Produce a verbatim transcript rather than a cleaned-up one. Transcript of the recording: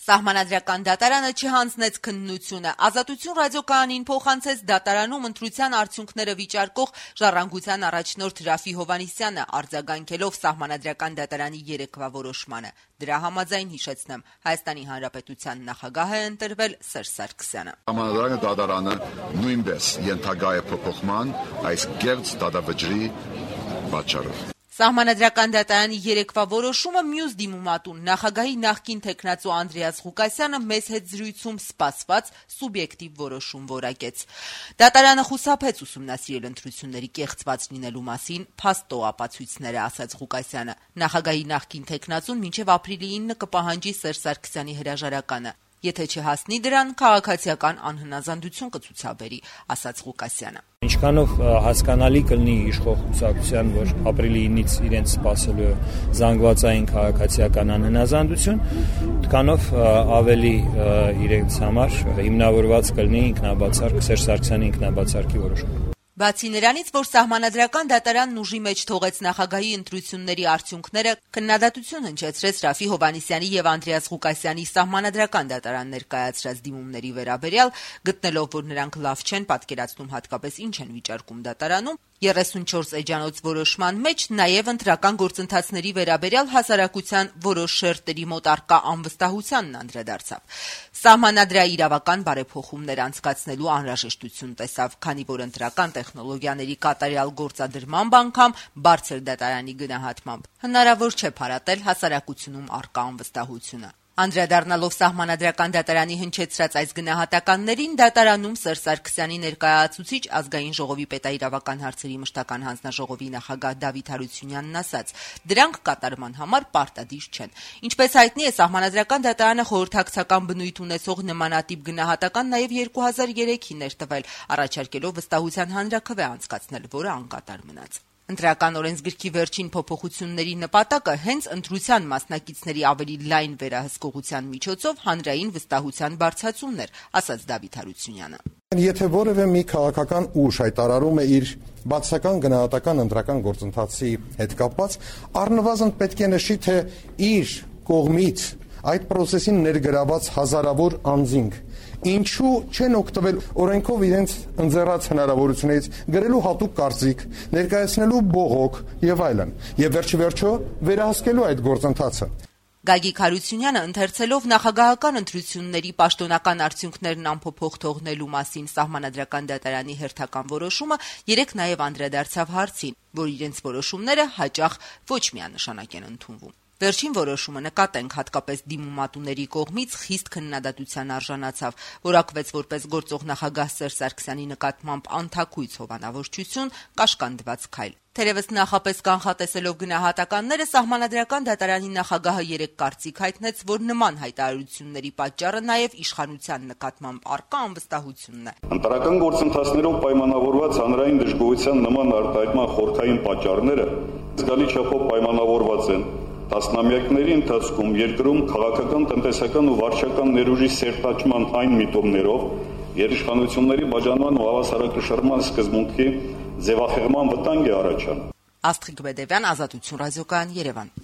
Սահմանադրական դատարանը չհանձնեց քննությունը, Ազատություն ռադիոկայանին փոխանցեց դատարանում ընտրության արդյունքները վիճարկող Ժառանգության առաջնորդ Ռաֆի Հովհաննիսյանը, արձագանքելով Սահմանադրական դատարանի երեկվա որոշմանը։ Դրա համաձայն հիշեցնեմ, Հայաստանի Հանրապետության նախագահ է ընտրվել Սերժ Սարգսյանը։ Սահմանադրական դատարանը նույնպես ենթակա է փոփոխման այս կեղծ դատավճռի պատճառով։ Սահմանադրական դատարանի երեկվա որոշումը մյուս դիմումատուն նախագահի նախկին թեկնածու Անդրեաս Ղուկասյանը մեծ հետ զրույցում սպասված սուբյեկտիվ որոշում որակեց։ Դատարանը խուսափեց ուսումնասիրել ընտրությունների կեղծված լինելու մասին փաստո ապացույցները, ասաց Ղուկասյանը։ Նախագահի նախկին թեկնածուն մինչև ապրիլի ինը կպահանջի Սերժ Սարգսյանի հրաժարականը։ Եթե չհասնի դրան, քաղաքացիական անհնազանդություն կցուցաբերի, ասաց Ղուկասյանը։ Ինչքանով հասկանալի կլինի իշխող կուսակցության, որ ապրիլի ինից իրենց սպասելու զանգվածային քաղաքացիական անհնազանդություն, դրանով ավելի իրենց համար հիմնավորված կլինի ինքնաբացարկ Սերժ Սարգսյանի ինքնաբացարկի որոշումը։ Բացի նրանից, որ Սահմանադրական դատարանն ուժի մեջ թողեց նախագահի ընտրությունների արդյունքները, քննադատություն հնչեցրեց Ռաֆի Հովհաննիսյանի եւ Անդրեաս Ղուկասյանի Սահմանադրական դատարան ներկայացրած դիմումների վերաբերյալ, գտնելով, որ նրանք լավ չեն պատկերացնում հատկապես ինչ են վիճարկում դատարանում, երեսունչորս էջանոց որոշման մեջ նաև ընտրական գործընթացների վերաբերյալ հասարակության որոշ շերտերի մոտ առկա անվստահությանն անդրադարձավ։ Սահմանադրաիրավական բարեփոխումներ անցկացնելու անհրաժեշտություն տեսավ, քանի որ ընտրական տեխնոլոգիաների կատարյալ գործադրման անգամ բարձր դատարանի գնահատմամբ հնարավոր չէ փարատել հասարակությունում առկա անվստահությունը։ Անդրադառնալով Սահմանադրական դատարանի հնչեցրած այս գնահատականներին, դատարանում Սերժ Սարգսյանի ներկայացուցիչ Ազգային ժողովի պետաիրավական հարցերի մշտական հանձնաժողովի նախագահ Դավիթ Հարությունյանն ասաց. դրանք կատարման համար պարտադիր չեն։ Ինչպես հայտնի է, Սահմանադրական դատարանը խորհրդակցական բնույթ ունեցող նմանատիպ գնահատական նաև երկու հազար երեքին էր տվել, առաջարկելով վստահության հանրաքվե անցկացնել, որը անկատար մնաց։ Ընտրական օրենսգրքի վերջին փոփոխությունների նպատակը հենց ընտրության մասնակիցների ավելի լայն վերահսկողության միջոցով հանրային վստահության բարձրացումն էր, ասաց Դավիթ Հարությունյանը։ Եթե որևէ մի քաղաքական ուժ հայտարարում է իր բացասական գնահատական ընտրական գործընթացի հետ կապված, առնվազն պետք է նշի, թե իր կողմից այդ process-ին ներգրաված հազարավոր անձինք ինչու չեն օգտվել օրենքով իրենց ընձեռած հնարավորություններից գրելու հատուկ կարծիք, ներկայացնելու բողոք եւ այլն, եւ վերջի վերջո վերահսկելու այդ գործընթացը։ Գագիկ Հարությունյանը ընթերցելով նախագահական ընտրությունների պաշտոնական արդյունքներն անփոփոխ թողնելու մասին Սահմանադրական դատարանի հերթական որոշումը երեք նաև անդրադարձավ հարցին, որ իրենց որոշումները հաճախ ոչ միանշանակ են ընդունվում։ Վերջին որոշումը նկատենք հատկապես դիմումատուների կողմից խիստ քննադատության արժանացավ, որակվեց որպես գործող նախագահ Սերժ Սարգսյանի նկատմամբ անթաքույց հովանավորչություն, կաշկանդված քայլ։ Թերևս նախապես կանխատեսելով գնահատականները, Սահմանադրական դատարանի նախագահը երեք կարծիք հայտնեց, որ նման հայտարարությունների պատճառը նաև իշխանության նկատմամբ առկա անվստահությունն է։ Ընտրական գործընթացներով պայմանավորված հանրային դժգոհության նման արտահայտման խորքային պատճառները զգալի չափով պայմանավորված են տասնամյակների ընթացքում երկրում քաղաքական, տնտեսական ու վարչական ներուժի սերտաճման այն միտումներով, երիշխանությունների բաժանման ու հավասարակշռման սկզբունքի ձևախեղման վտանգ է առաջանում։ Աստղիկ Բեդևյան, Ազատություն ռադիոկայան, Երևան։